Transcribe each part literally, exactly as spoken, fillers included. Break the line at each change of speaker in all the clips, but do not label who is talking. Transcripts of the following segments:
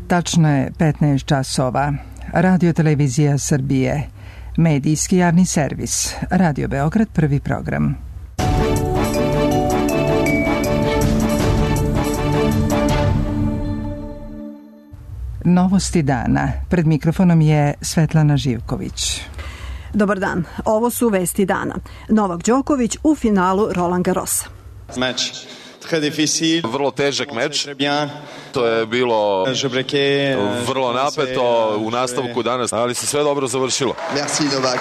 Tačno je petnaest časova. Radio Televizija Srbije. Medijski javni servis. Radio Beograd, prvi program. Novosti dana. Pred mikrofonom je Svetlana Živković.
Dobar dan. Ovo su vesti dana. Novak Đoković u finalu Roland Garrosa.
Meč.
Vrlo težak meč. To je bilo vrlo napeto u nastavku danas, ali se sve dobro završilo.
Merci Novak.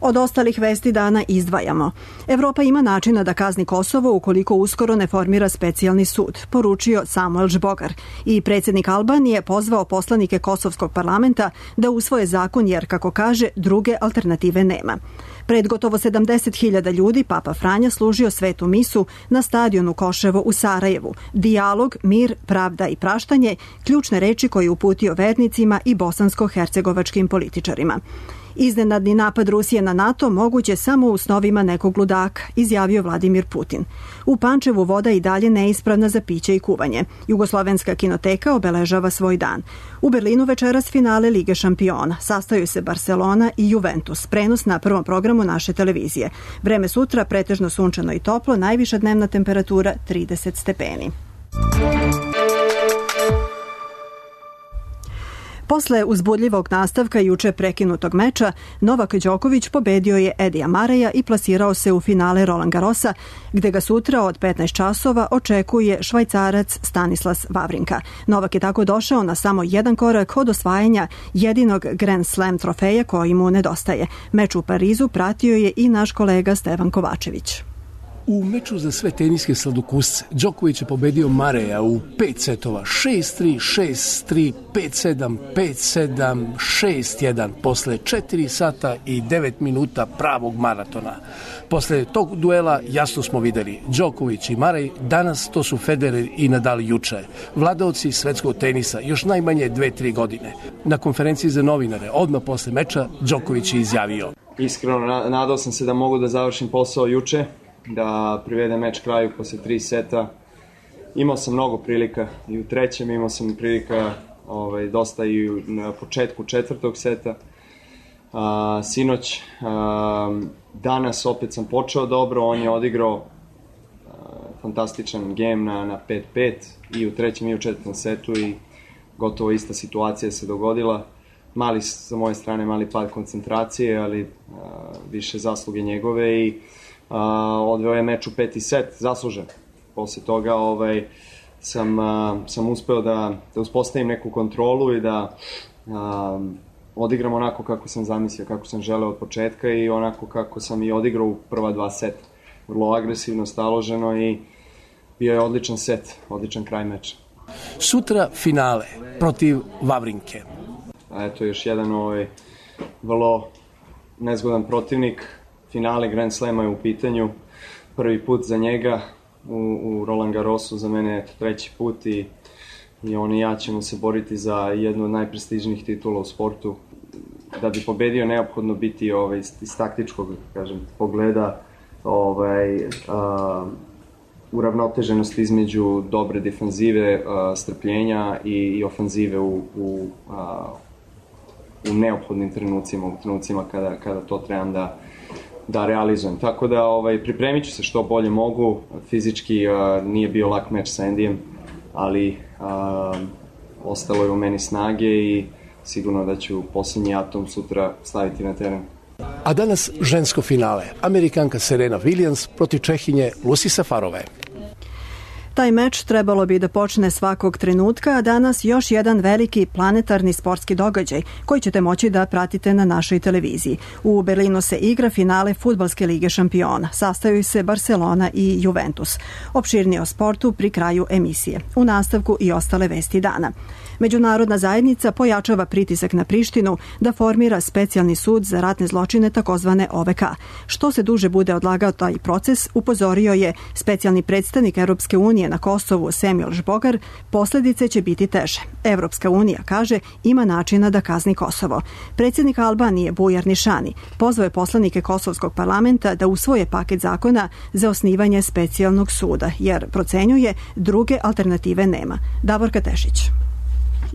Od ostalih vesti dana izdvajamo. Evropa ima načina da kazni Kosovo ukoliko uskoro ne formira specijalni sud, poručio Samuel Žbogar. I predsjednik Albanije pozvao poslanike Kosovskog parlamenta da usvoje zakon jer, kako kaže, druge alternative nema. Pred gotovo sedamdeset hiljada ljudi Papa Franja služio svetu misu na stadionu Koševo u Sarajevu. Dijalog, mir, pravda i praštanje, ključne reči koje je uputio vernicima i bosansko-hercegovačkim političarima. Iznenadni napad Rusije na NATO moguće samo u snovima nekog ludaka, izjavio Vladimir Putin. U Pančevu voda i dalje neispravna za piće i kuvanje. Jugoslovenska kinoteka obeležava svoj dan. U Berlinu večeras finale Lige šampiona. Sastaju se Barcelona i Juventus. Prenos na prvom programu naše televizije. Vreme sutra pretežno sunčano i toplo, najviša dnevna temperatura trideset stepeni. Posle uzbudljivog nastavka juče prekinutog meča, Novak Đoković pobedio je Edija Mareja i plasirao se u finale Roland Garrosa, gde ga sutra od petnaest časova očekuje Švajcarac Stanislas Wawrinka. Novak je tako došao na samo jedan korak od osvajanja jedinog Grand Slam trofeja koji mu nedostaje. Meč u Parizu pratio je i naš kolega Stevan Kovačević.
U meču za sve teniske sladokusce Đoković je pobedio Mareja u pet setova, šest tri, šest tri, pet sedam, pet sedam, šest jedan, posle četiri sata i devet minuta pravog maratona. Posle tog duela jasno smo videli, Đoković i Marej danas to su Federer i Nadal juče, vladaoci svetskog tenisa još najmanje dve, tri godine. Na konferenciji za novinare odmah posle meča Đoković je izjavio:
Iskreno nadao sam se da mogu da završim posao juče, da privedem meč kraju posle tri seta. Imao sam mnogo prilika i u trećem, imao sam prilika ovaj, dosta i na početku četvrtog seta. A, sinoć, a, danas opet sam počeo dobro, on je odigrao a, fantastičan game na, na pet pet i u trećem i u četvrtom setu i gotovo ista situacija se dogodila. Mali, sa moje strane, mali pad koncentracije, ali a, više zasluge njegove i Uh, odveo je meč u peti set, zaslužen. Posle toga ovaj, sam, uh, sam uspeo da, da uspostavim neku kontrolu i da uh, odigram onako kako sam zamislio, kako sam želeo od početka i onako kako sam i odigrao u prva dva seta. Vrlo agresivno, staloženo i bio je odličan set, odličan kraj meča.
Sutra finale protiv Wawrinke.
A eto još jedan ovaj, vrlo nezgodan protivnik. Finale Grand Slema je u pitanju, prvi put za njega u, u Roland Garrosu, za mene je to treći put i, i on i ja ćemo se boriti za jednu od najprestižnijih titula u sportu. Da bi pobedio neophodno biti ovaj, iz taktičkog, kažem, pogleda ovaj, a, uravnoteženost između dobre defanzive, a, strpljenja i, i ofanzive u, u, a, u neophodnim trenucima, u trenucima kada, kada to trebam da da realizujem. Tako da ovaj, pripremit ću se što bolje mogu. Fizički uh, nije bio lak meč sa Endijem, ali uh, ostalo je u meni snage i sigurno da ću posljednji atom sutra staviti na teren.
A danas žensko finale. Amerikanka Serena Williams protiv Čehinje Lucy Safarove.
Taj meč trebalo bi da počne svakog trenutka, a danas još jedan veliki planetarni sportski događaj koji ćete moći da pratite na našoj televiziji. U Berlinu se igra finale Fudbalske lige šampiona. Sastaju se Barcelona i Juventus. Opširnije o sportu pri kraju emisije. U nastavku i ostale vesti dana. Međunarodna zajednica pojačava pritisak na Prištinu da formira specijalni sud za ratne zločine takozvane O V K. Što se duže bude odlagao taj proces, upozorio je specijalni predstavnik Europske unije unije na Kosovu Semil Žbogar, posljedice će biti teže. Evropska unija, kaže, ima načina da kazni Kosovo. Predsjednik Albanije Bujar Nišani pozvao je poslanike Kosovskog parlamenta da usvoje paket zakona za osnivanje specijalnog suda, jer procenjuje druge alternative nema. Davorka Tešić.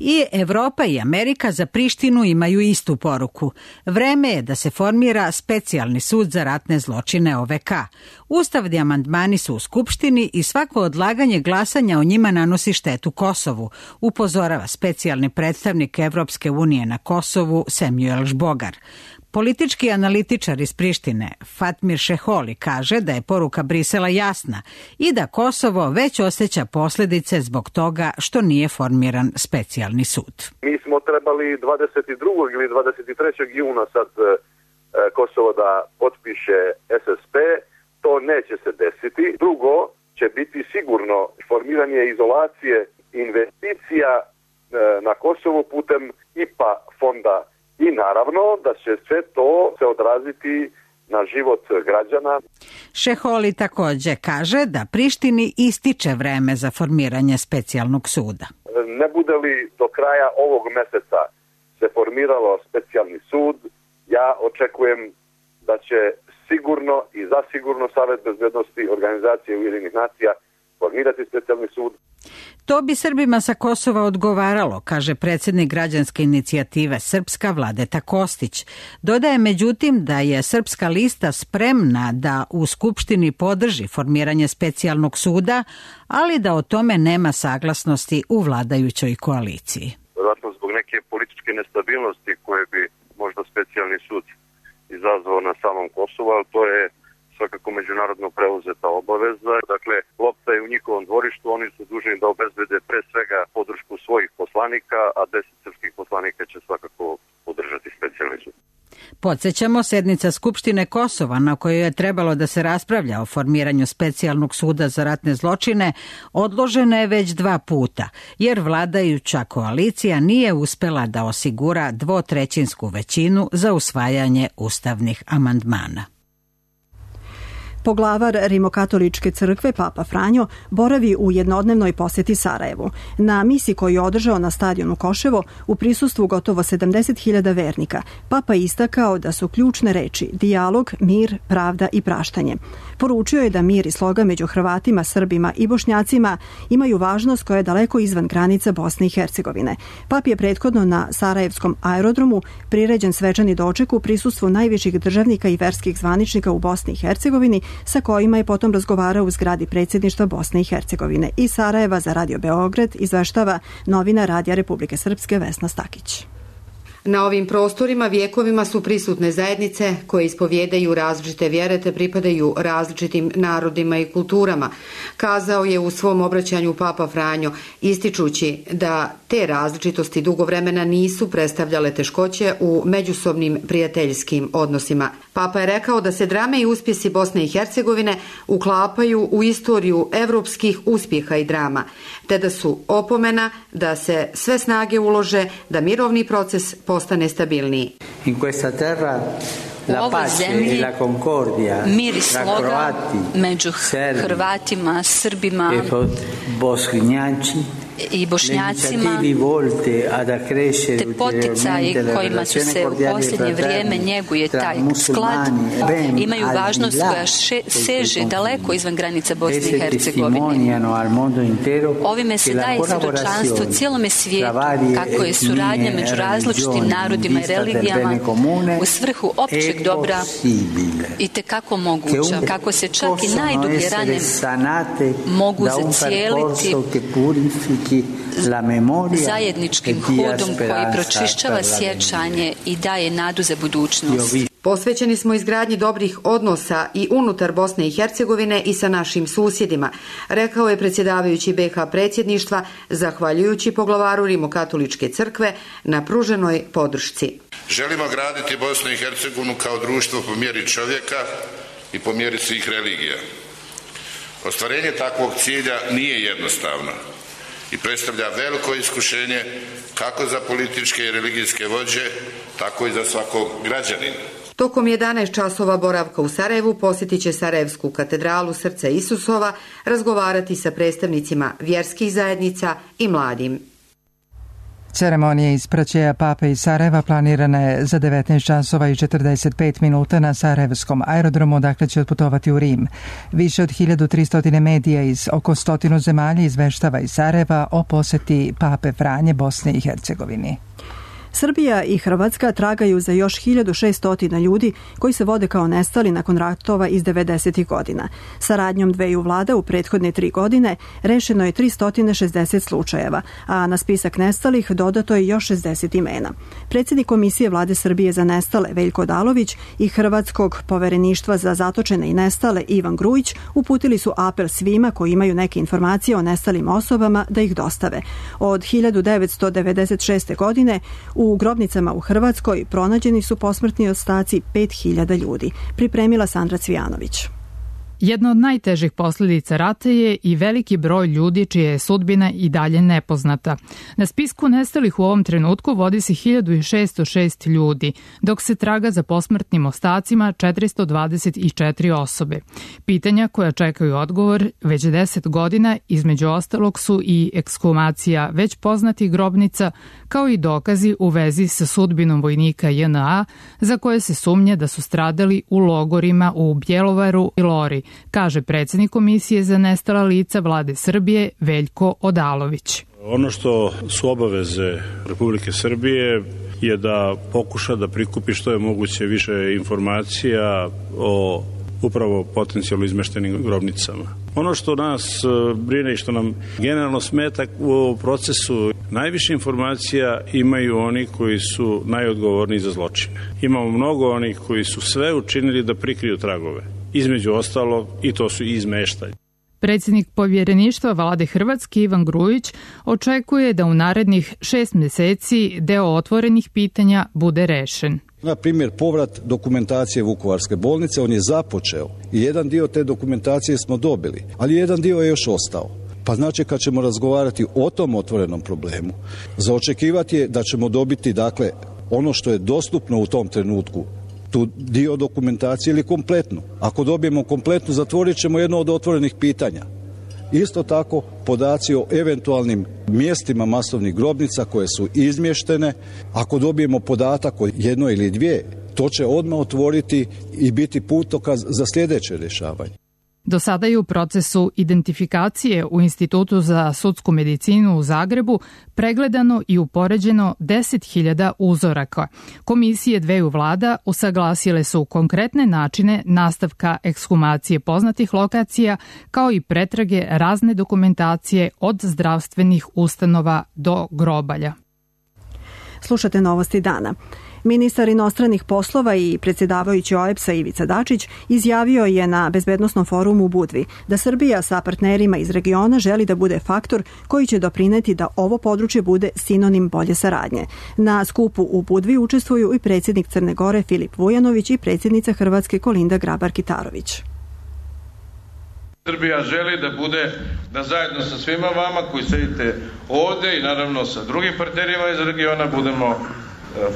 I Evropa i Amerika za Prištinu imaju istu poruku. Vreme je da se formira specijalni sud za ratne zločine O V K. Ustavni amandmani su u Skupštini i svako odlaganje glasanja o njima nanosi štetu Kosovu, upozorava specijalni predstavnik Evropske unije na Kosovu Semil Žbogar. Politički analitičar iz Prištine Fatmir Šeholi kaže da je poruka Brisela jasna i da Kosovo već osjeća posljedice zbog toga što nije formiran specijalni sud.
Mi smo trebali dvadeset drugog ili dvadeset trećeg juna sad e, Kosovo da potpiše S S P, to neće se desiti. Drugo će biti sigurno formiranje izolacije investicija e, na Kosovu putem I P A fonda. I naravno da će sve to se odraziti na život građana.
Šeholi također kaže da Prištini ističe vreme za formiranje specijalnog suda.
Ne bude li do kraja ovog mjeseca se formiralo specijalni sud, ja očekujem da će sigurno i zasigurno Savet bezbednosti Organizacije Ujedinjenih nacija formirati specijalni sud.
To bi Srbima sa Kosova odgovaralo, kaže predsjednik građanske inicijative Srpska Vladeta Kostić. Dodaje međutim da je Srpska lista spremna da u Skupštini podrži formiranje specijalnog suda, ali da o tome nema saglasnosti u vladajućoj koaliciji.
Vjerojatno zbog neke političke nestabilnosti koje bi možda specijalni sud izazvao na samom Kosovu, ali to je svakako međunarodno preuzeta obaveza. Dakle, lopta je u njihovom dvorištu, oni su dužni da obezbede pre svega podršku svojih poslanika, a deset srpskih poslanika će svakako podržati specijalni sud.
Podsjećamo, sednica Skupštine Kosova na kojoj je trebalo da se raspravlja o formiranju specijalnog suda za ratne zločine odložena je već dva puta, jer vladajuća koalicija nije uspela da osigura dvotrećinsku većinu za usvajanje ustavnih amandmana.
Poglavar Rimokatoličke crkve Papa Franjo boravi u jednodnevnoj posjeti Sarajevu. Na misi koju je održao na stadionu Koševo u prisustvu gotovo sedamdeset hiljada vernika, Papa istakao da su ključne reči dijalog, mir, pravda i praštanje. Poručio je da mir i sloga među Hrvatima, Srbima i Bošnjacima imaju važnost koja je daleko izvan granica Bosne i Hercegovine. Pap je prethodno na Sarajevskom aerodromu priređen svečani doček u prisustvu najviših državnika i verskih zvaničnika u Bosni i Hercegovini, sa kojima je potom razgovarao u zgradi predsjedništva Bosne i Hercegovine. Iz Sarajeva za Radio Beograd izveštava novina Radija Republike Srpske Vesna Stakić.
Na ovim prostorima vjekovima su prisutne zajednice koje ispovjedaju različite vjere te pripadaju različitim narodima i kulturama, kazao je u svom obraćanju Papa Franjo, ističući da te različitosti dugo vremena nisu predstavljale teškoće u međusobnim prijateljskim odnosima. Papa je rekao da se drame i uspjesi Bosne i Hercegovine uklapaju u istoriju evropskih uspjeha i drama, te da su opomena da se sve snage ulože da mirovni proces postane stabilniji.
In questa terra la pace e la concordia
mir i sloga među Hrvatima, Srbima i Bošnjacima, te poticaji kojima su se u posljednje vrijeme njeguje taj sklad, imaju važnost koja še, seže daleko izvan granica Bosne i Hercegovine. Ovime se daje svjedočanstvo cijelome svijetu kako je suradnja među različitim narodima i religijama u svrhu općeg dobra i tekako moguća, kako se čak i najdublje rane mogu zacijeliti zajedničkim hodom koji pročišćava sjećanje i daje nadu za budućnost.
Posvećeni smo izgradnji dobrih odnosa i unutar Bosne i Hercegovine i sa našim susjedima, rekao je predsjedavajući B H predsjedništva, zahvaljujući poglavaru Rimokatoličke crkve na pruženoj podršci.
Želimo graditi Bosnu i Hercegovinu kao društvo po mjeri čovjeka i po mjeri svih religija. Ostvarenje takvog cilja nije jednostavno i predstavlja veliko iskušenje kako za političke i religijske vođe, tako i za svakog građanina.
Tokom jedanaest časova boravka u Sarajevu posjetit će Sarajevsku katedralu Srca Isusova, razgovarati sa predstavnicima vjerskih zajednica i mladim.
Ceremonija ispraćaja Pape iz Sarajeva planirana je za devetnaest časova i četrdeset pet minuta na Sarajevskom aerodromu, odakle će otputovati u Rim. Više od hiljadu tristo medija iz oko stotinu zemalja izveštava iz Sarajeva o poseti Pape Franje Bosne i Hercegovini.
Srbija i Hrvatska tragaju za još hiljadu šesto ljudi koji se vode kao nestali nakon ratova iz devedesetih godina. Saradnjom dveju vlada u prethodne tri godine rešeno je tristo šezdeset slučajeva, a na spisak nestalih dodato je još šezdeset imena. Predsjednik Komisije Vlade Srbije za nestale Veljko Odalović i Hrvatskog povereništva za zatočene i nestale Ivan Grujić uputili su apel svima koji imaju neke informacije o nestalim osobama da ih dostave. Od hiljadu devetsto devedeset šeste. godine u grobnicama u Hrvatskoj pronađeni su posmrtni ostaci pet hiljada ljudi. Pripremila Sandra Cvijanović.
Jedna od najtežih posljedica rata je i veliki broj ljudi čija je sudbina i dalje nepoznata. Na spisku nestalih u ovom trenutku vodi se hiljadu šesto šest ljudi, dok se traga za posmrtnim ostacima četiristo dvadeset četiri osobe. Pitanja koja čekaju odgovor već deset godina, između ostalog su i ekshumacija već poznatih grobnica, kao i dokazi u vezi sa sudbinom vojnika J N A za koje se sumnje da su stradali u logorima u Bjelovaru i Lori, kaže predsjednik Komisije za nestala lica Vlade Srbije Veljko Odalović.
Ono što su obaveze Republike Srbije je da pokuša da prikupi što je moguće više informacija o upravo potencijalno izmeštenim grobnicama. Ono što nas brine i što nam generalno smeta u procesu, najviše informacija imaju oni koji su najodgovorniji za zločine. Imamo mnogo onih koji su sve učinili da prikriju tragove. Između ostalog i to su izmeštaj.
Predsjednik povjereništva Vlade Hrvatske Ivan Grujić očekuje da u narednih šest mjeseci deo otvorenih pitanja bude rešen.
Na primjer, povrat dokumentacije Vukovarske bolnice, on je započeo i jedan dio te dokumentacije smo dobili, ali jedan dio je još ostao. Pa znači kad ćemo razgovarati o tom otvorenom problemu, za očekivati je da ćemo dobiti dakle ono što je dostupno u tom trenutku, tu dio dokumentacije ili kompletnu. Ako dobijemo kompletnu, zatvorit ćemo jedno od otvorenih pitanja. Isto tako, podaci o eventualnim mjestima masovnih grobnica koje su izmještene, ako dobijemo podatak o jedno ili dvije, to će odmah otvoriti i biti putokaz za sljedeće rješavanje.
Do sada je u procesu identifikacije u Institutu za sudsku medicinu u Zagrebu pregledano i upoređeno deset hiljada uzoraka. Komisije dveju vlada usaglasile su konkretne načine nastavka ekshumacije poznatih lokacija, kao i pretrage razne dokumentacije od zdravstvenih ustanova do grobalja.
Slušate novosti dana. Ministar inostranih poslova i predsjedavajući O E B S-a Ivica Dačić izjavio je na bezbednosnom forumu u Budvi da Srbija sa partnerima iz regiona želi da bude faktor koji će doprineti da ovo područje bude sinonim bolje saradnje. Na skupu u Budvi učestvuju i predsjednik Crne Gore Filip Vujanović i predsjednica Hrvatske Kolinda Grabar-Kitarović.
Srbija želi da bude, da zajedno sa svima vama koji sedite ovdje i naravno sa drugim partnerima iz regiona budemo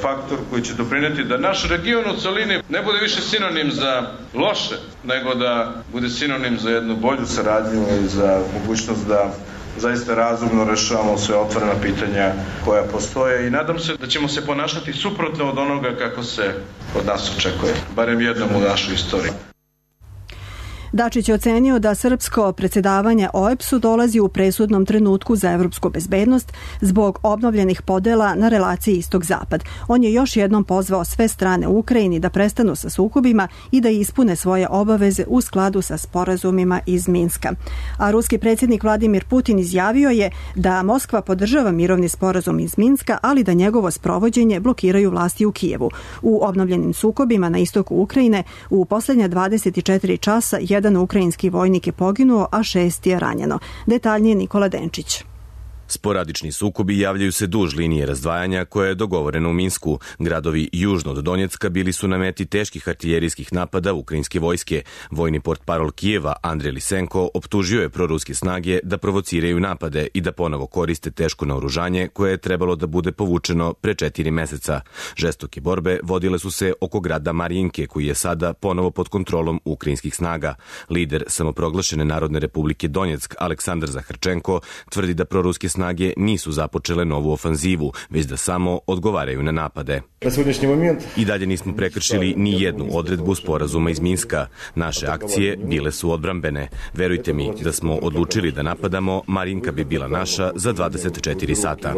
faktor koji će doprineti da naš region u celini ne bude više sinonim za loše, nego da bude sinonim za jednu bolju saradnju i za mogućnost da zaista razumno rešavamo sve otvorena pitanja koja postoje i nadam se da ćemo se ponašati suprotno od onoga kako se od nas očekuje, barem jednom u našoj istoriji.
Dačić je ocenio da srpsko predsjedavanje O E B S-u dolazi u presudnom trenutku za evropsku bezbednost zbog obnovljenih podela na relaciji istok-zapad. On je još jednom pozvao sve strane u Ukrajini da prestanu sa sukobima i da ispune svoje obaveze u skladu sa sporazumima iz Minska. A ruski predsjednik Vladimir Putin izjavio je da Moskva podržava mirovni sporazum iz Minska, ali da njegovo sprovođenje blokiraju vlasti u Kijevu. U obnovljenim sukobima na istoku Ukrajine u posljednja dvadeset četiri časa jedan ukrajinski vojnik je poginuo, a šest je ranjeno. Detaljnije Nikola Denčić.
Sporadični sukobi javljaju se duž linije razdvajanja koja je dogovorena u Minsku. Gradovi južno od Donjecka bili su na meti teških artiljerijskih napada ukrajinske vojske. Vojni portparol Kijeva Andrej Lisenko optužio je proruske snage da provociraju napade i da ponovo koriste teško naoružanje koje je trebalo da bude povučeno pre četiri meseca. Žestoke borbe vodile su se oko grada Marijinke koji je sada ponovo pod kontrolom ukrajinskih snaga. Lider samoproglašene Narodne republike Donjeck Aleksandar Zaharčenko tvrdi da proruske snage nisu započele novu ofanzivu, već da samo odgovaraju na napade. I dalje nismo prekršili ni jednu odredbu sporazuma iz Minska. Naše akcije bile su odbrambene. Verujte mi, da smo odlučili da napadamo, Marinka bi bila naša za dvadeset četiri sata.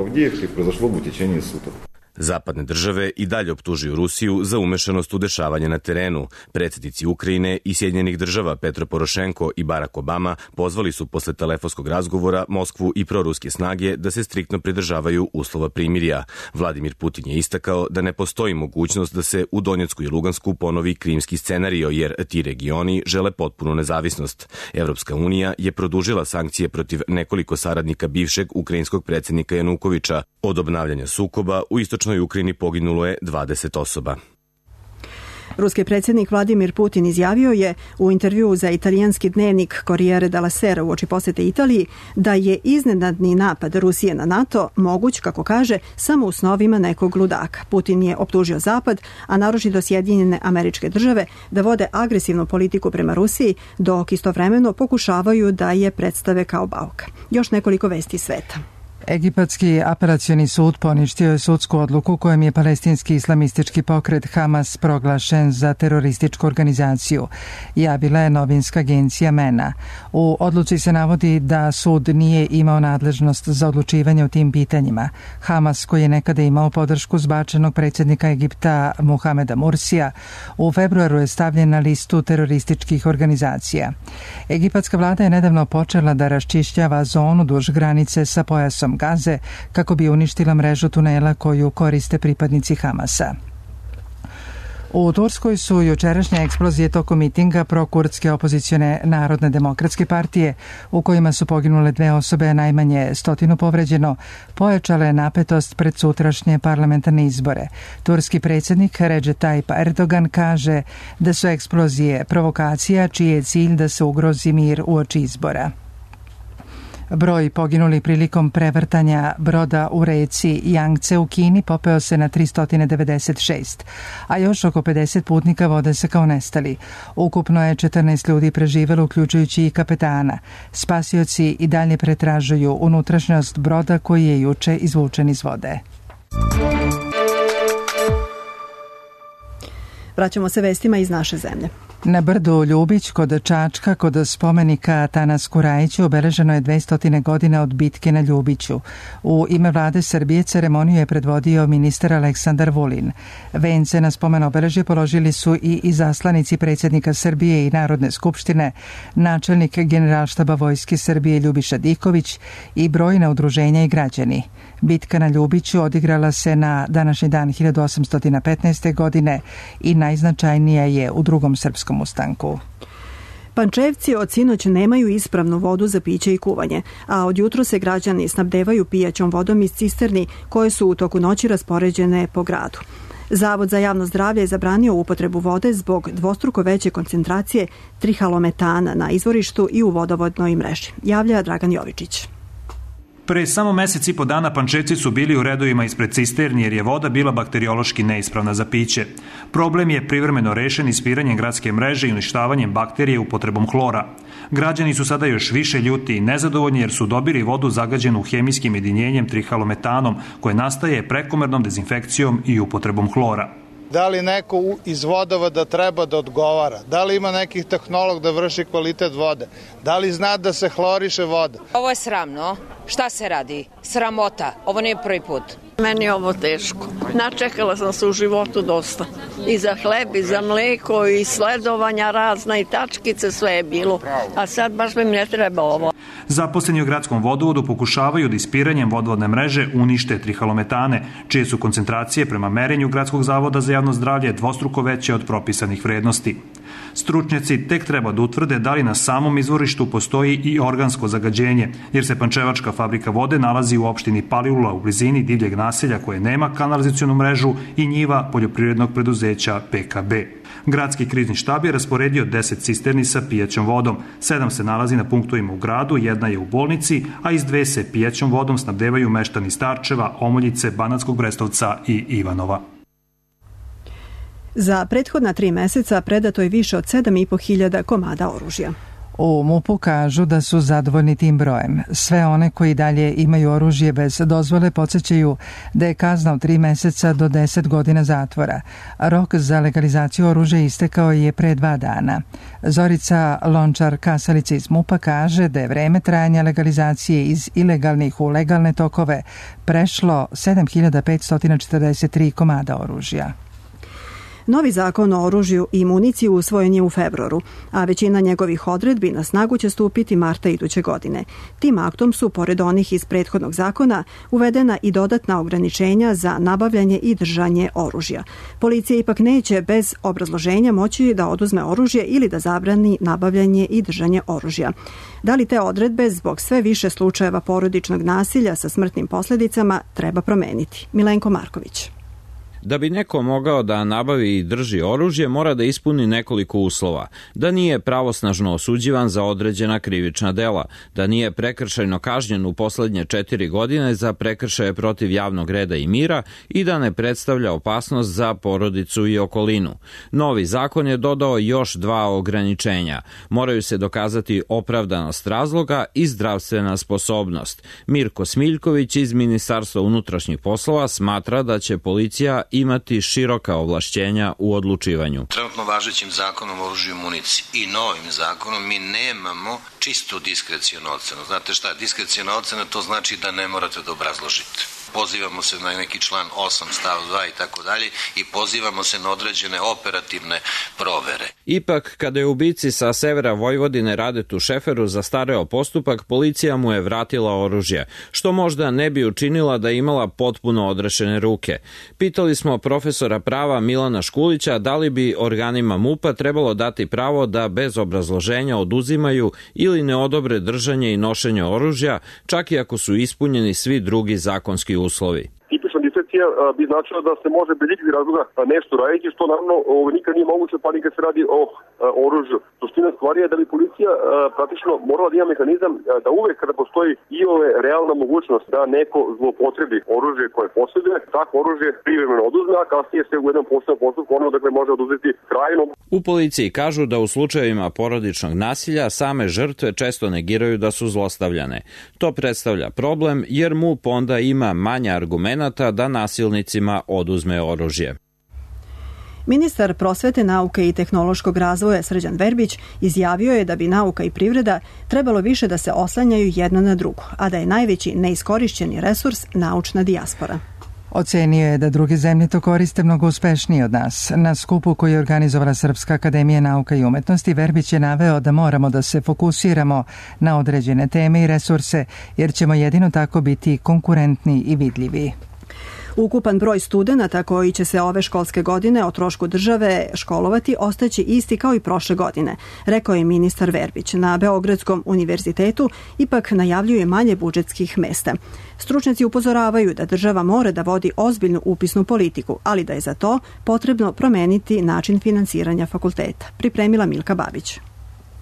Zapadne države i dalje optužuju Rusiju za umešanost u dešavanje na terenu. Predsjednici Ukrajine i Sjedinjenih država Petro Porošenko i Barack Obama pozvali su posle telefonskog razgovora Moskvu i proruske snage da se striktno pridržavaju uslova primirja. Vladimir Putin je istakao da ne postoji mogućnost da se u Donjecku i Lugansku ponovi krimski scenario, jer ti regioni žele potpunu nezavisnost. Evropska unija je produžila sankcije protiv nekoliko saradnika bivšeg ukrajinskog predsjednika Janukoviča. Od obnavljanja sukoba u istočnoj Ukrajini poginulo je dvadeset osoba.
Ruski predsjednik Vladimir Putin izjavio je u intervjuu za italijanski dnevnik Corriere della Sera uoči posete Italiji da je iznenadni napad Rusije na NATO moguć, kako kaže, samo u snovima nekog ludaka. Putin je optužio Zapad, a naročito Sjedinjene Američke Države, da vode agresivnu politiku prema Rusiji, dok istovremeno pokušavaju da je predstave kao bauka. Još nekoliko vesti sveta.
Egipatski apelacioni sud poništio je sudsku odluku kojom je palestinski islamistički pokret Hamas proglašen za terorističku organizaciju, javila je novinska agencija MENA. U odluci se navodi da sud nije imao nadležnost za odlučivanje o tim pitanjima. Hamas, koji je nekada imao podršku zbačenog predsjednika Egipta Muhameda Mursija, u februaru je stavljen na listu terorističkih organizacija. Egipatska vlada je nedavno počela da raščišćava zonu duž granice sa pojasom Gaze kako bi uništila mrežu tunela koju koriste pripadnici Hamasa. U Turskoj su jučerašnje eksplozije tokom mitinga prokurdske opozicione Narodne demokratske partije, u kojima su poginule dve osobe, najmanje stotinu povređeno, pojačale napetost pred sutrašnje parlamentarne izbore. Turski predsjednik Recep Tayyip Erdogan kaže da su eksplozije provokacija čiji je cilj da se ugrozi mir uoči izbora. Broj poginuli prilikom prevrtanja broda u reci Jangce u Kini popeo se na tristo devedeset šest, a još oko pedeset putnika vode se kao nestali. Ukupno je četrnaest ljudi preživelo, uključujući i kapetana. Spasioci i dalje pretražuju unutrašnjost broda koji je juče izvučen iz vode.
Vraćamo se vestima iz naše zemlje.
Na brdu Ljubić kod Čačka, kod spomenika Tanasku Rajiću, obeleženo je dvesta godina od bitke na Ljubiću. U ime vlade Srbije ceremoniju je predvodio ministar Aleksandar Vulin. Vence na spomen obeležje položili su i izaslanici predsjednika Srbije i Narodne skupštine, načelnik Generalštaba Vojske Srbije Ljubiša Diković i brojna udruženja i građani. Bitka na Ljubiću odigrala se na današnji dan hiljadu osamsto petnaeste. godine i najznačajnija je u drugom srpskom ustanku.
Pančevci od sinoć nemaju ispravnu vodu za piće i kuvanje, a od jutro se građani snabdevaju pijaćom vodom iz cisterni koje su u toku noći raspoređene po gradu. Zavod za javno zdravlje je zabranio upotrebu vode zbog dvostruko veće koncentracije trihalometana na izvorištu i u vodovodnoj mreži, javlja Dragan Jovičić.
Pre samo mesec i po dana Pančevci su bili u redovima ispred cisterni jer je voda bila bakteriološki neispravna za piće. Problem je privremeno rešen ispiranjem gradske mreže i uništavanjem bakterije upotrebom hlora. Građani su sada još više ljuti i nezadovoljni jer su dobili vodu zagađenu hemijskim jedinjenjem trihalometanom koje nastaje prekomernom dezinfekcijom i upotrebom hlora.
Da li neko iz vodovoda treba da odgovara? Da li ima nekih tehnolog da vrši kvalitet vode? Da li zna da se hloriše voda?
Ovo je sramno. Šta se radi? Sramota. Ovo nije prvi put.
Meni je ovo teško. Načekala sam se u životu dosta. I za hleb, i za mleko, i sledovanja razna, i tačkice, sve je bilo. A sad baš mi ne treba ovo.
Zaposleni u gradskom vodovodu pokušavaju da ispiranjem vodovodne mreže unište trihalometane, čije su koncentracije prema merenju Gradskog zavoda za javno zdravlje dvostruko veće od propisanih vrednosti. Stručnjaci tek treba da utvrde da li na samom izvorištu postoji i organsko zagađenje, jer se pančevačka fabrika vode nalazi u opštini Palilula u blizini divljeg naselja koje nema kanalizacionu mrežu i njiva poljoprivrednog preduzeća P K B. Gradski krizni štab je rasporedio deset cisterni sa pijaćom vodom. Sedam se nalazi na punktovima u gradu, jedna je u bolnici, a iz dve se pijaćom vodom snabdevaju meštani Starčeva, Omoljice, Banatskog Brestovca i Ivanova.
Za prethodna tri meseca predato je više od sedam i po hiljada komada oružja.
U MUP-u kažu da su zadovoljni tim brojem. Sve one koji dalje imaju oružje bez dozvole podsjećaju da je kazna od tri meseca do deset godina zatvora. Rok za legalizaciju oružja istekao je pre dva dana. Zorica Lončar-Kasalica iz MUP-a kaže da je vreme trajanja legalizacije iz ilegalnih u legalne tokove prešlo sedam hiljada petsto četrdeset tri komada oružja.
Novi zakon o oružju i municiji usvojen je u februaru, a većina njegovih odredbi na snagu će stupiti marta iduće godine. Tim aktom su, pored onih iz prethodnog zakona, uvedena i dodatna ograničenja za nabavljanje i držanje oružja. Policija ipak neće bez obrazloženja moći da oduzme oružje ili da zabrani nabavljanje i držanje oružja. Da li te odredbe zbog sve više slučajeva porodičnog nasilja sa smrtnim posljedicama treba promeniti? Milenko Marković.
Da bi neko mogao da nabavi i drži oružje, mora da ispuni nekoliko uslova. Da nije pravosnažno osuđivan za određena krivična dela, da nije prekršajno kažnjen u poslednje četiri godine za prekršaje protiv javnog reda i mira i da ne predstavlja opasnost za porodicu i okolinu. Novi zakon je dodao još dva ograničenja. Moraju se dokazati opravdanost razloga i zdravstvena sposobnost. Mirko Smiljković iz Ministarstva unutrašnjih poslova smatra da će policija imati široka ovlašćenja u odlučivanju.
Trenutno važećim zakonom o oružju i municiji i novim zakonom mi nemamo čistu diskrecijonu ocenu. Znate šta, diskreciona ocena to znači da ne morate da obrazložite. Pozivamo se na neki član osam stav dva i tako dalje i pozivamo se na određene operativne provere.
Ipak, kada je ubici sa severa Vojvodine Radetu Šeferu zastareo postupak, policija mu je vratila oružje, što možda ne bi učinila da je imala potpuno odrešene ruke. Pitali smo profesora prava Milana Škulića da li bi organima MUP-a trebalo dati pravo da bez obrazloženja oduzimaju ili ne odobre držanje i nošenje oružja, čak i ako su ispunjeni svi drugi zakonski uslovi.
Tipična diskrecija bi značila da se može bez ikakvih razloga nešto raditi, što naravno nikad nije moguće, pa nikad se radi o oružju. Suština stvari je da bi policija praktično morala da ima mehanizam da uvek kada postoji i ove realna mogućnost da neko zloupotrebi oružje koje posjeduje, tako oružje privremeno oduzme, a kasnije se u jednom posebnom postupku ono dakle može oduzeti trajno.
U policiji kažu da u slučajevima porodičnog nasilja same žrtve često negiraju da su zlostavljane. To predstavlja problem jer MUP onda ima manje argumenata da nasilnicima oduzme oružje.
Ministar prosvete, nauke i tehnološkog razvoja Srđan Verbić izjavio je da bi nauka i privreda trebalo više da se oslanjaju jedna na drugu, a da je najveći neiskorišćeni resurs naučna dijaspora.
Ocenio je da druge zemlje to koriste mnogo uspešnije od nas. Na skupu koji je organizovala Srpska akademija nauka i umetnosti, Verbić je naveo da moramo da se fokusiramo na određene teme i resurse, jer ćemo jedino tako biti konkurentni i vidljivi.
Ukupan broj studenata koji će se ove školske godine o trošku države školovati ostaće isti kao i prošle godine, rekao je ministar Verbić. Na Beogradskom univerzitetu ipak najavljuje manje budžetskih mesta. Stručnjaci upozoravaju da država mora da vodi ozbiljnu upisnu politiku, ali da je za to potrebno promeniti način finansiranja fakulteta. Pripremila Milka Babić.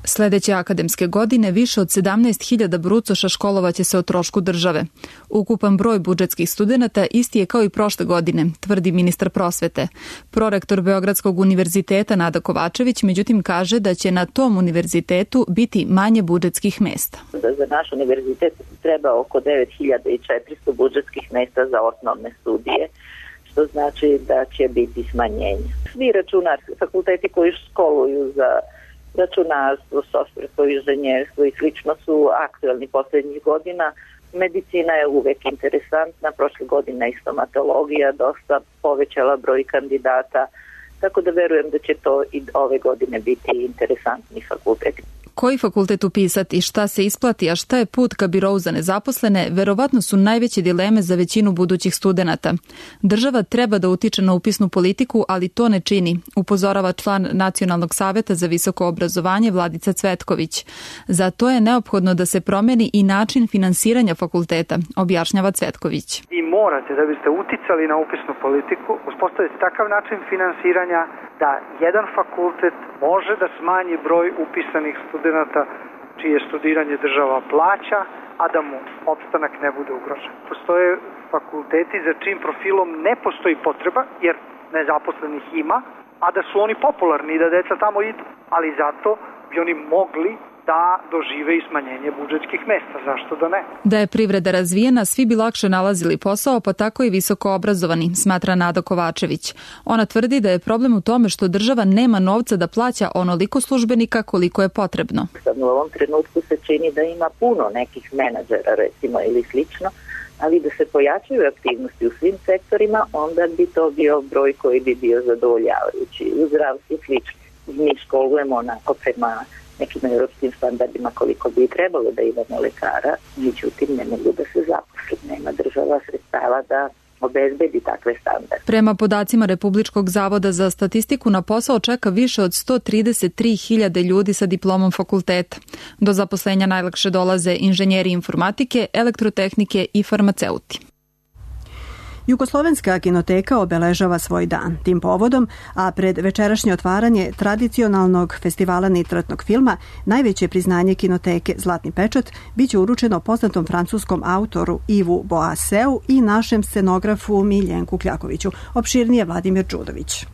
Sledeće akademske godine više od sedamnaest hiljada brucoša školovaće se o trošku države. Ukupan broj budžetskih studenata isti je kao i prošle godine, tvrdi ministar prosvete. Prorektor Beogradskog univerziteta Nada Kovačević međutim kaže da će na tom univerzitetu biti manje budžetskih mesta.
Za naš univerzitet treba oko devet hiljada četiristo budžetskih mesta za osnovne studije, što znači da će biti smanjenje. Svi računarski fakulteti koji školuju za računarstvo, softversko inženjerstvo i slično su aktuelni poslednjih godina. Medicina je uvek interesantna, prošle godine i stomatologija dosta povećala broj kandidata, tako da verujem da će to i ove godine biti interesantni fakulteti.
Koji fakultet upisati, šta se isplati, a šta je put ka birou za nezaposlene, verovatno su najveće dileme za većinu budućih studenata. Država treba da utiče na upisnu politiku, ali to ne čini, upozorava član Nacionalnog saveta za visoko obrazovanje Vladica Cvetković. Zato je neophodno da se promeni i način finansiranja fakulteta, objašnjava Cvetković.
I morate, da biste uticali na upisnu politiku, uspostaviti takav način finansiranja da jedan fakultet može da smanji broj upisanih studenata čije studiranje država plaća, a da mu opstanak ne bude ugrožen. Postoje fakulteti za čim profilom ne postoji potreba, jer nezaposlenih ima, a da su oni popularni i da deca tamo idu, ali zato bi oni mogli da dožive i smanjenje budžetskih mesta. Zašto da ne?
Da je privreda razvijena, svi bi lakše nalazili posao, pa tako i visoko obrazovani, smatra Nada Kovačević. Ona tvrdi da je problem u tome što država nema novca da plaća onoliko službenika koliko je potrebno.
Sad u ovom trenutku se čini da ima puno nekih menadžera, recimo, ili slično, ali da se pojačaju aktivnosti u svim sektorima, onda bi to bio broj koji bi bio zadovoljavajući. U zdravstvu slično. Mi školujemo onako prema nekim europskim standardima koliko bi trebalo da imamo lekara, međutim ne mogu da se zaposli. Nema država sredstava da obezbedi takve standarde.
Prema podacima Republičkog zavoda za statistiku na posao čeka više od sto trideset tri hiljade ljudi sa diplomom fakulteta. Do zaposlenja najlakše dolaze inženjeri informatike, elektrotehnike i farmaceuti.
Jugoslovenska kinoteka obeležava svoj dan tim povodom, a pred večerašnje otvaranje tradicionalnog festivala nitratnog filma, najveće priznanje kinoteke Zlatni pečat biće uručeno poznatom francuskom autoru Ivu Boaseu i našem scenografu Miljenku Kljakoviću. Opširnije Vladimir Đudović.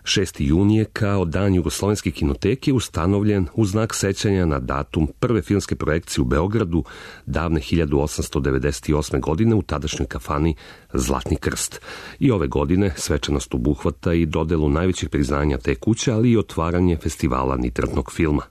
šesti jun je kao dan Jugoslovenske kinoteke ustanovljen u znak sećanja na datum prve filmske projekcije u Beogradu davne hiljadu osamsto devedeset osme. godine u tadašnjoj kafani Zlatni krst. I ove godine svečanost obuhvata i dodelu najvećih priznanja te kuće, ali i otvaranje festivala nitratnog filma.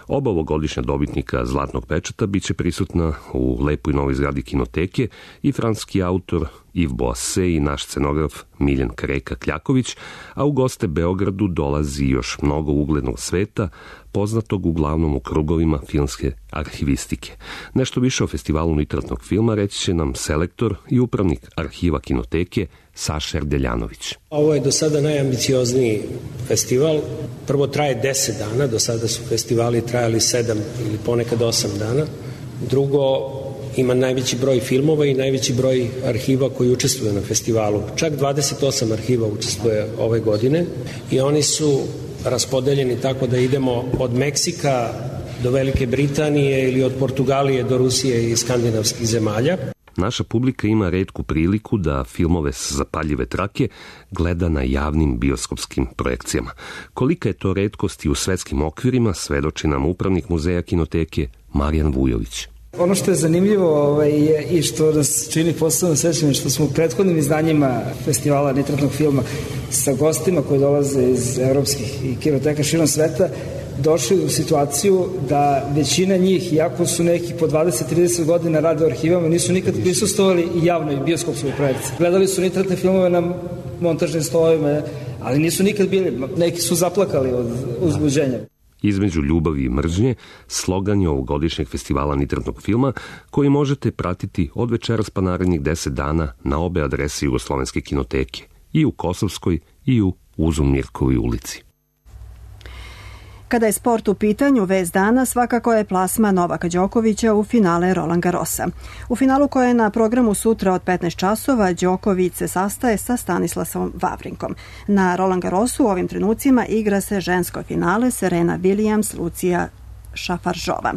Oba ovogodišnja dobitnika Zlatnog pečata biće prisutna u lepoj novoj zgradi kinoteke i francuski autor Yves Boasset i naš scenograf Miljen Kreka Kljaković, a u goste Beogradu dolazi još mnogo uglednog sveta, poznatog uglavnom u krugovima filmske arhivistike. Nešto više o festivalu nitratnog filma reći će nam selektor i upravnik arhiva kinoteke Saša Erdeljanović.
Ovo je do sada najambiciozniji festival. Prvo traje deset dana, do sada su festivali trajali sedam ili ponekad osam dana. Drugo, ima najveći broj filmova i najveći broj arhiva koji učestvuju na festivalu. Čak dvadeset osam arhiva učestvuje ove godine i oni su raspodeljeni tako da idemo od Meksika do Velike Britanije ili od Portugalije do Rusije i skandinavskih zemalja.
Naša publika ima retku priliku da filmove s zapaljive trake gleda na javnim bioskopskim projekcijama. Kolika je to retkost i u svetskim okvirima, svedoči nam upravnik muzeja kinoteke Marijan Vujović.
Ono što je zanimljivo ovaj, je i što nas čini posebno sećanje, što smo u prethodnim izdanjima festivala nitratnog filma sa gostima koji dolaze iz evropskih i kinoteka širom sveta došli u situaciju da većina njih, iako su neki po dvadeset do trideset godina rade u arhivama, nisu nikad prisustvovali i javnoj bioskopskoj projekciji. Gledali su nitratne filmove na montažnim stolovima, ali nisu nikad bili, neki su zaplakali od uzbuđenja.
Između ljubavi i mržnje, slogan je ovogodišnjeg festivala nitratnog filma, koji možete pratiti od večeras pa narednih deset dana na obe adrese Jugoslovenske kinoteke, i u Kosovskoj i u Uzun-Mirkovoj ulici.
Kada je sport u pitanju, vest dana svakako je plasma Novaka Đokovića u finale Roland Garrosa. U finalu koje je na programu sutra od petnaest časova, Đoković se sastaje sa Stanislavom Vavrinkom. Na Roland Garrosu u ovim trenucima igra se žensko finale Serena Williams, Lucija Šafaržova.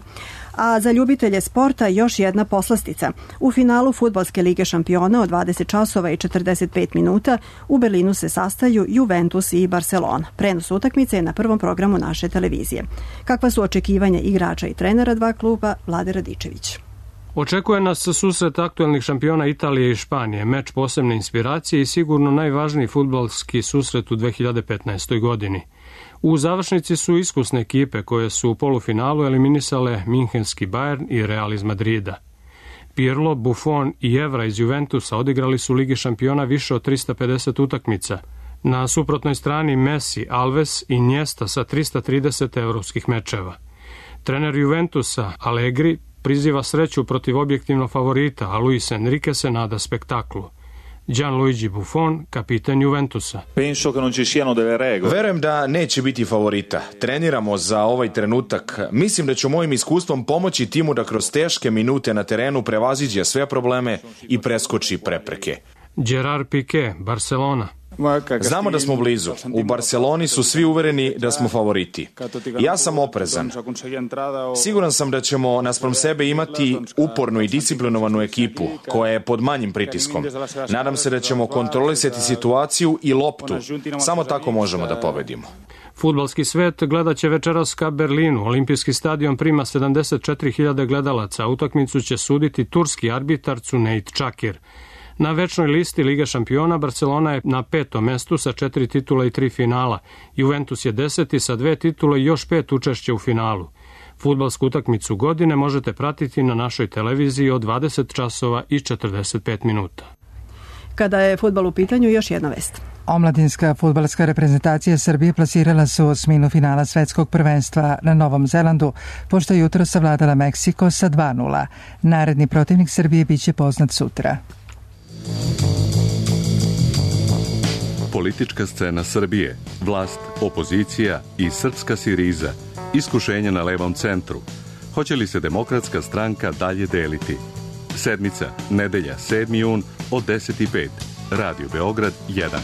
A za ljubitelje sporta još jedna poslastica. U finalu Fudbalske lige šampiona od dvadeset časova i četrdeset pet minuta u Berlinu se sastaju Juventus i Barcelona. Prenos utakmice je na prvom programu naše televizije. Kakva su očekivanja igrača i trenera dva kluba? Vlade Radičević.
Očekuje nas susret aktuelnih šampiona Italije i Španije, meč posebne inspiracije i sigurno najvažniji fudbalski susret u dve hiljade petnaestoj. godini. U završnici su iskusne ekipe koje su u polufinalu eliminisale Minhenski Bayern i Real iz Madrida. Pirlo, Buffon i Evra iz Juventusa odigrali su Ligi šampiona više od trista pedeset utakmica. Na suprotnoj strani Messi, Alves i Iniesta sa trista trideset evropskih mečeva. Trener Juventusa, Allegri, priziva sreću protiv objektivnog favorita, a Luis Enrique se nada spektaklu. Gianluigi Buffon, kapitan Juventusa.
Verujem da neće biti favorita. Treniramo za ovaj trenutak. Mislim da ću mojim iskustvom pomoći timu da kroz teške minute na terenu prevaziđe sve probleme i preskoči prepreke.
Gerard Piqué, Barcelona.
Znamo da smo blizu. U Barceloni su svi uvereni da smo favoriti. Ja sam oprezan. Siguran sam da ćemo naspram sebe imati upornu i disciplinovanu ekipu koja je pod manjim pritiskom. Nadam se da ćemo kontrolisati situaciju i loptu. Samo tako možemo da pobedimo.
Fudbalski svet gledat će večeras ka Berlinu. Olimpijski stadion prima sedamdeset četiri hiljade gledalaca. Utakmicu će suditi turski arbitar Cuneyt Čakir. Na večnoj listi Lige šampiona Barcelona je na petom mestu sa četiri titula i tri finala. Juventus je deseti sa dve titule i još pet učešća u finalu. Fudbalsku utakmicu godine možete pratiti na našoj televiziji od dvadeset časova i četrdeset pet minuta.
Kada je fudbal u pitanju, još jedna vest.
Omladinska fudbalska reprezentacija Srbije plasirala se u osminu finala svetskog prvenstva na Novom Zelandu, pošto je jutro savladala Meksiko sa dva nula. Naredni protivnik Srbije biće poznat sutra.
Politička scena Srbije, vlast, opozicija i srpska siriza, iskušenja na levom centru. Hoće li se Demokratska stranka dalje deliti? Sedmica, nedelja, sedmi jun od deset i pet. Radio Beograd jedan.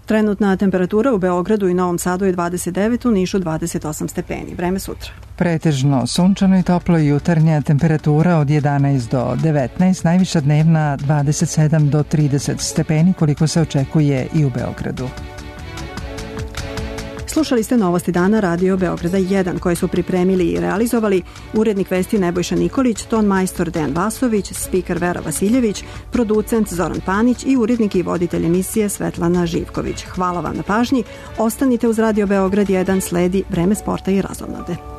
Trenutna temperatura u Beogradu i Novom Sadu je dvadeset devet, u Nišu dvadeset osam stepeni. Vreme sutra.
Pretežno sunčano i toplo, jutarnja temperatura od jedanaest do devetnaest, najviša dnevna dvadeset sedam do trideset stepeni, koliko se očekuje i u Beogradu.
Slušali ste Novosti dana Radio Beograda jedan, koje su pripremili i realizovali urednik vesti Nebojša Nikolić, ton majstor Dejan Vasović, spiker Vera Vasiljević, producent Zoran Panić i urednik i voditelj emisije Svetlana Živković. Hvala vam na pažnji. Ostanite uz Radio Beograd jedan, sledi Vreme sporta i razonode.